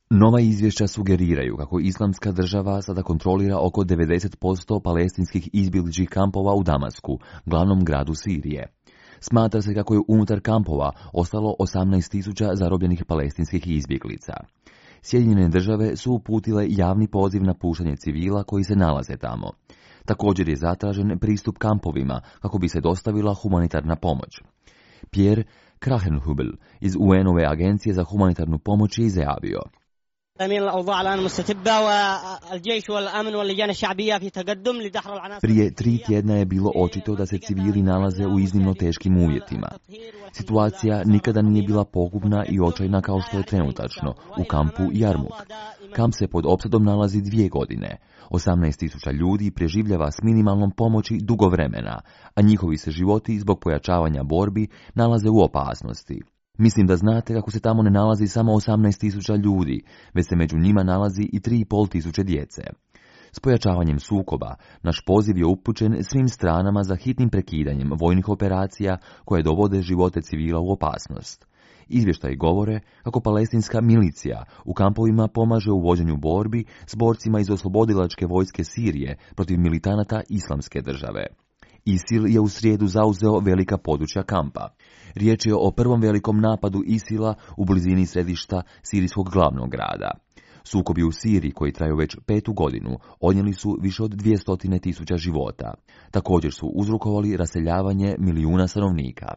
Nova izvješća sugeriraju kako Islamska država sada kontrolira oko 90% palestinskih izbjegličkih kampova u Damasku, glavnom gradu Sirije. Smatra se kako je unutar kampova ostalo 18.000 zarobljenih palestinskih izbjeglica. Sjedinjene države su uputile javni poziv na puštanje civila koji se nalaze tamo. Također je zatražen pristup kampovima kako bi se dostavila humanitarna pomoć. Pierre Krahenhubel iz UN-ove agencije za humanitarnu pomoć je izjavio: Prije 3 tjedna je bilo očito da se civili nalaze u iznimno teškim uvjetima. Situacija nikada nije bila pogubna i očajna kao što je trenutačno u kampu Jarmuk. Kamp se pod opsadom nalazi 2 godine. 18.000 ljudi preživljava s minimalnom pomoći dugo vremena, a njihovi se životi zbog pojačavanja borbi nalaze u opasnosti. Mislim da znate kako se tamo ne nalazi samo 18.000 ljudi, već se među njima nalazi i 3.500 djece. S pojačavanjem sukoba, naš poziv je upućen svim stranama za hitnim prekidanjem vojnih operacija koje dovode živote civila u opasnost. Izvještaji govore kako palestinska milicija u kampovima pomaže u vođenju borbi s borcima iz oslobodilačke vojske Sirije protiv militanata Islamske države. ISIL je u srijedu zauzeo velika područja kampa. Riječ je o prvom velikom napadu ISIL-a u blizini središta sirijskog glavnog grada. Sukobi u Siriji, koji traju već 5. godinu, odnijeli su više od 200.000 života. Također su uzrokovali raseljavanje milijuna stanovnika.